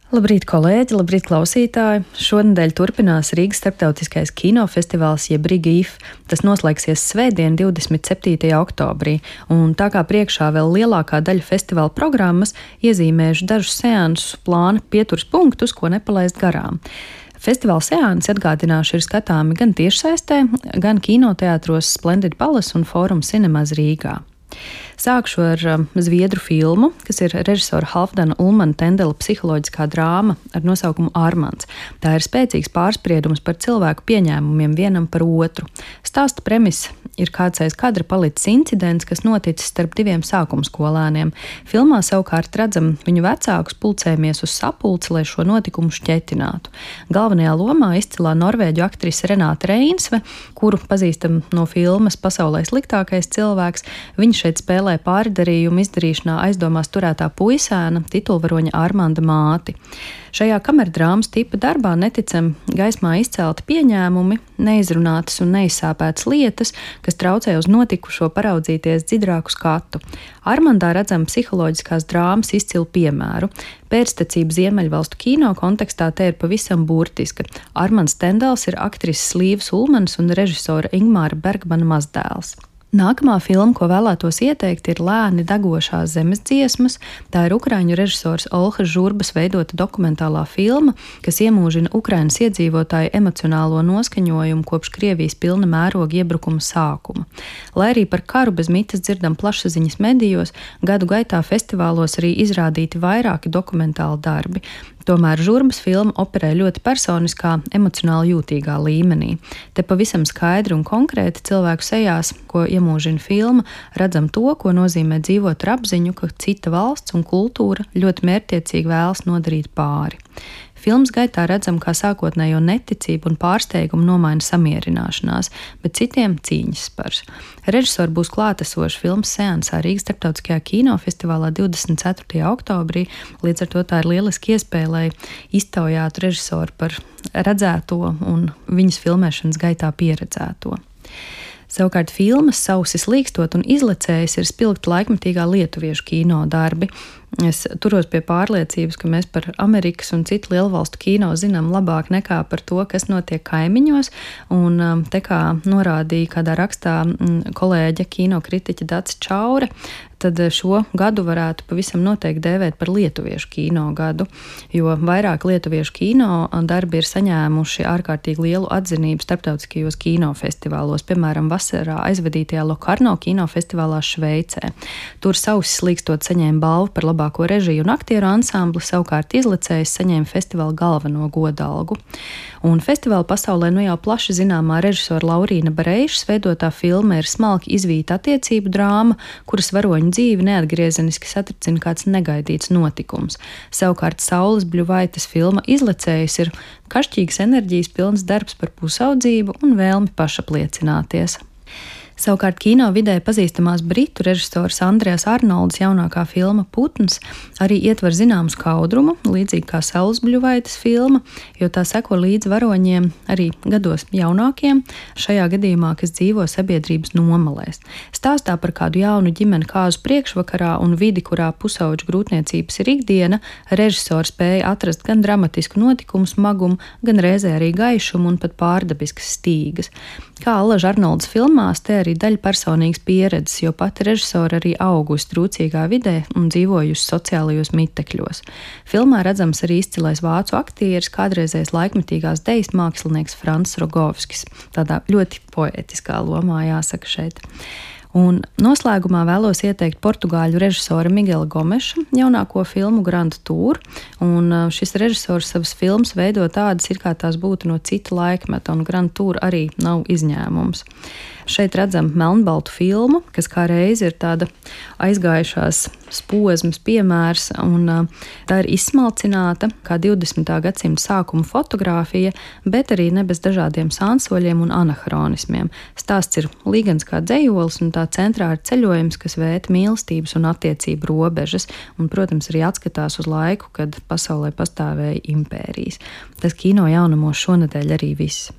Labrīt, kolēģi, labrīt, klausītāji! Šonedēļ turpinās Rīgas starptautiskais kinofestivāls jeb Riga IF. Tas noslēgsies svētdien, 27. oktobrī, un tā kā priekšā vēl lielākā daļa festivāla programmas, iezīmējuši dažus seansu plāna pieturas punktus, ko nepalaist garām. Festivāla seansi, atgādināšu, ir skatāmi gan tiešsaistē, gan kinoteātros Splendid Palace un Forum Cinemas Rīgā. Sākšu ar zviedru filmu, kas ir režisora Halfdana Ulmana Tendela psiholoģiskā drāma ar nosaukumu Armands. Tā ir spēcīgs pārspriedums par cilvēku pieņēmumiem vienam par otru. Stāsta premisa ir kāds aiz kadra palicis incidents, kas noticis starp diviem sākumskolēniem. Filmā savukārt redzam viņu vecākus pulcējamies uz sapulci, lai šo notikumu šķetinātu. Galvenajā lomā izcilā norvēģu aktrise Renāte Reinsve, kuru pazīstam no filmas Pasaulē sliktākais cilvēks. Viņa šeit spēlē pārdarījumu izdarīšanā aizdomās turētā puisēna, titulvaroņa Armanda māti. Šajā kamerdrāmas tipa darbā neticami gaismā izcelti pieņēmumi, neizrunātas un neizsāpētas lietas, kas traucē uz notikušo paraudzīties dziļāku skatu. Armandā redzam psiholoģiskās drāmas izcilu piemēru. Pēctecība Ziemeļvalstu kino kontekstā te ir pavisam burtiska. Armands Tendels ir aktrises Līvas Ulmanas un režisora Ingmāra Bergmana mazdēls. Nākamā filma, ko vēlētos ieteikt, ir Lēni degošās zemes dziesmas. Tā ir ukraiņu režisors Olhas Žurbas veidota dokumentālā filma, kas iemūžina Ukrainas iedzīvotāju emocionālo noskaņojumu kopš Krievijas pilna mēroga iebrukuma sākuma. Lai arī par karu bez mitas dzirdam plašsaziņas medijos, gadu gaitā festivālos arī izrādīti vairāki dokumentāli darbi. Tomēr Žurbas filma operē ļoti personiskā, emocionāli jūtīgā līmenī. Te pavisam skaidri un konkrēti cilvēku sejās, ko iemūžina filma, redzam to, ko nozīmē dzīvot ar apziņu, ka cita valsts un kultūra ļoti mērķtiecīgi vēlas nodarīt pāri. Filmas gaitā redzam, kā sākotnējo neticību un pārsteigumu nomaina samierināšanās, bet citiem cīņas spars. Režisori būs klātesoši filmas seansā Rīgas starptautiskajā kinofestivālā 24. oktobrī, līdz ar to tā ir lieliski iespēja, lai iztaujātu režisoru par redzēto un viņas filmēšanas gaitā pieredzēto. Savukārt filmas Sausi slīkstot un izlecējis ir spilgti laikmetīgā lietuviešu kino darbi. Es turos pie pārliecības, ka mēs par Amerikas un citu lielvalstu kino zinām labāk nekā par to, kas notiek kaimiņos, un te kā norādīja kādā rakstā kolēģe kinokritiķe Dace Čaure, tad šo gadu varētu pavisam noteikti dēvēt par lietuviešu kino gadu, jo vairāk lietuviešu kino darbi ir saņēmuši ārkārtīgi lielu atzinību starptautiskajos kinofestivālos, piemēram, vasarā aizvadītajā Lokarno kinofestivālā Šveicē. Tur Sausi slīkstot saņēma balvu par labāko režiju un aktieru ansambli, savukārt izlecējs saņēma festivāla galveno godalgu. Un festivāla pasaulē jau plaši zināmā režisora Laurīna Bareišas veidotā filma ir smalki izvīta attiecību drāma, kuras varoņu dzīvi neatgriezeniski satricina kāds negaidīts notikums. Savukārt Saules Bļuvaites filma Izlecējs ir kašķīgas enerģijas pilns darbs par pusaudzību un vēlmi pašapliecināties. Savukārt kino vidē pazīstamās britu režisors Andrejas Arnolds jaunākā filma Putns arī ietver zināmu skaudrumu, līdzīgi kā Saules Bļuvaites filma, jo tā seko līdz varoņiem arī gados jaunākiem, šajā gadījumā, kas dzīvo sabiedrības nomalēs. Stāstā par kādu jaunu ģimeni kāzu priekšvakarā un vidi, kurā pusauģu grūtniecības ir ikdiena, režisors spēja atrast gan dramatisku notikumu smagumu, gan reizē arī gaišumu un pat pārdabiskas stīgas. Kā Alaž Arnolds filmās, te arī daļa personīgas pieredzes, jo pati režisora arī augusi trūcīgā vidē un dzīvojusi sociālajos mitekļos. Filmā redzams arī izcilais vācu aktieris, kādreizējais laikmetīgās dejas mākslinieks Frants Rogovskis. Tādā ļoti poētiskā lomā jāsaka šeit. Un noslēgumā vēlos ieteikt portugāļu režisora Miguela Gomeša jaunāko filmu Grand Tour, un šis režisors savas filmas veido tādas, kā tās būtu no cita laikmeta, un Grand Tour arī nav izņēmums. Šeit redzam melnbaltu filmu, kas kā reiz ir tāda aizgājušās posmas piemērs, un tā ir izsmalcināta kā 20. gadsimta sākuma fotogrāfija, bet arī ne bez dažādiem sānsoļiem un anahronismiem. Stāsts ir līgans kā dzejolis, un tā centrā ir ceļojums, kas vēta mīlestības un attiecību robežas, un, protams, arī atskatās uz laiku, kad pasaulē pastāvēja impērijas. Tas kino jaunumos šonedēļ arī viss.